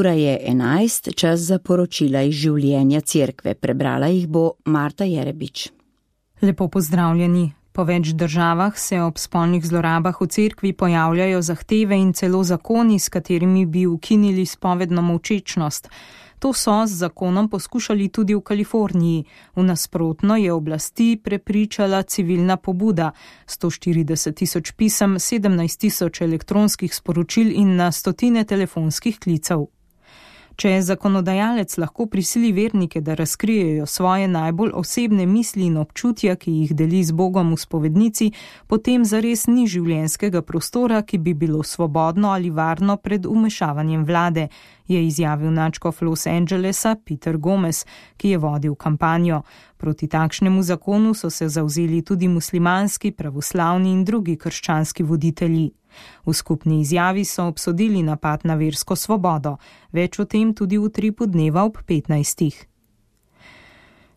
Ura je 11, čas za poročila iz življenja cerkve. Prebrala jih bo Marta Jerebič. Lepo pozdravljeni. Po več državah se ob spolnih zlorabah v cerkvi pojavljajo zahteve in celo zakoni, s katerimi bi ukinili spovedno molčečnost. To so z zakonom poskušali tudi v Kaliforniji. V nasprotno je oblasti prepričala civilna pobuda. 140.000 pisem, 17.000 elektronskih sporočil in na stotine telefonskih klicev. Če zakonodajalec lahko prisili vernike, da razkrijejo svoje najbolj osebne misli in občutja, ki jih deli z Bogom v spovednici, potem zares ni življenjskega prostora, ki bi bilo svobodno ali varno pred vmešavanjem vlade, je izjavil nadškof Los Angelesa Peter Gomez, ki je vodil kampanjo. Proti takšnemu zakonu so se zavzeli tudi muslimanski, pravoslavni in drugi krščanski voditelji. V skupni izjavi so obsodili napad na versko svobodo. Več o tem tudi v Utripu dneva ob 15.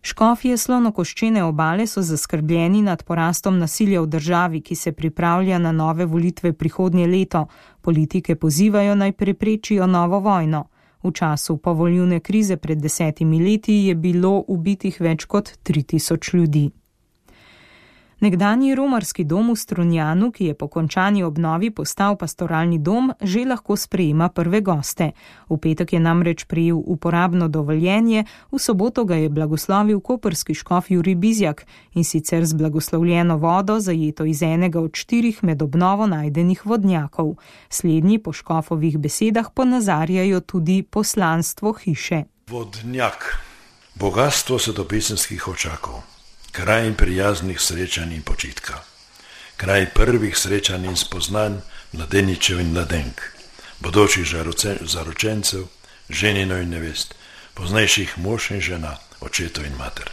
Škofje Slonokoščene obale so zaskrbljeni nad porastom nasilja v državi, ki se pripravlja na nove volitve prihodnje leto. Politike pozivajo naj preprečijo novo vojno. V času povoljivne krize pred 10 leti je bilo ubitih več kot 3000 ljudi. Nekdanji romarski dom v Strunjanu, ki je po končani obnovi postal pastoralni dom, že lahko sprejema prve goste. V petek je namreč prejel uporabno dovoljenje, v soboto ga je blagoslovil koprski škof Jurij Bizjak in sicer z blagoslovljeno vodo, zajeto iz enega od 4 med obnovo najdenih vodnjakov. Slednji po škofovih besedah ponazarjajo tudi poslanstvo hiše. Vodnjak, bogatstvo svetopisemskih očakov. Kraj prijaznih srečanj in počitka, kraj prvih srečanj in spoznanj mladeničev in mladenk, bodočih zaročencev, ženino in nevest, poznejših mož in žena, očetov in mater.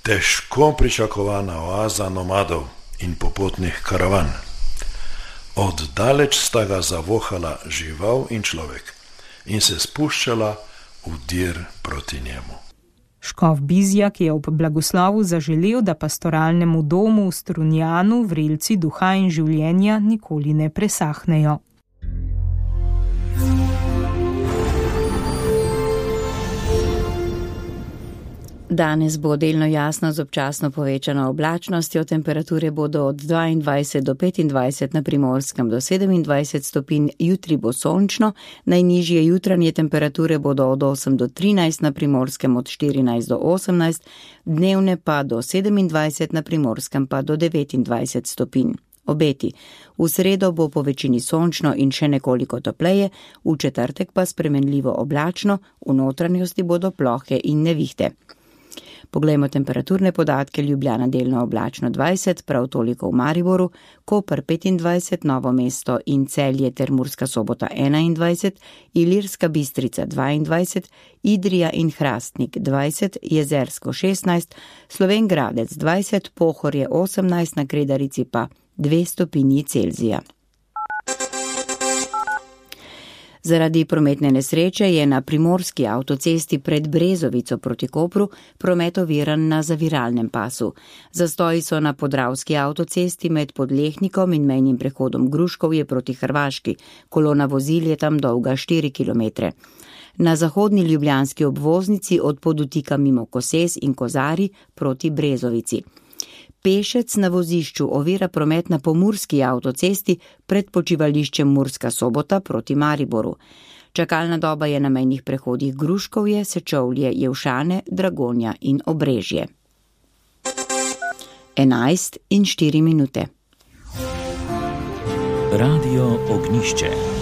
Težko pričakovana oaza nomadov in popotnih karavan. Od daleč sta ga zavohala žival in človek in se spuščala v dir proti njemu. Škof Bizjak je ob blagoslovu zaželel, da pastoralnemu domu v Strunjanu vrelci duha in življenja nikoli ne presahnejo. Danes bo delno jasno z občasno povečano oblačnostjo, temperature bodo od 22 do 25 na Primorskem do 27 stopinj, jutri bo sončno, najnižje jutranje temperature bodo od 8 do 13 na Primorskem, od 14 do 18, dnevne pa do 27 na Primorskem pa do 29 stopinj. Obeti. V sredo bo po večini sončno in še nekoliko topleje, v četrtek pa spremenljivo oblačno, v notranjosti bodo plohe in nevihte. Poglejmo temperaturne podatke. Ljubljana delno oblačno 20, prav toliko v Mariboru, Koper 25, Novo mesto in Celje ter Murska Sobota 21, Ilirska Bistrica 22, Idrija in Hrastnik 20, Jezersko 16, Slovenj Gradec 20, Pohorje 18, na Kredarici pa 2 stopinji Celzija. Zaradi prometne nesreče je na primorski avtocesti pred Brezovico proti Kopru promet oviran na zaviralnem pasu. Zastoji so na podravski avtocesti med Podlehnikom in mejnim prehodom Gruškovje proti Hrvaški. Kolona vozil je tam dolga 4 km. Na zahodni ljubljanski obvoznici od Podutika mimo Koses in Kozari proti Brezovici. Pešec na vozišču ovira promet na pomurski avtocesti pred počivališčem Murska Sobota proti Mariboru. Čakalna doba je na mejnih prehodih Gruškovje, Sečovlje, Jevšane, Dragonja in Obrežje. 11:04. Radio Ognišče.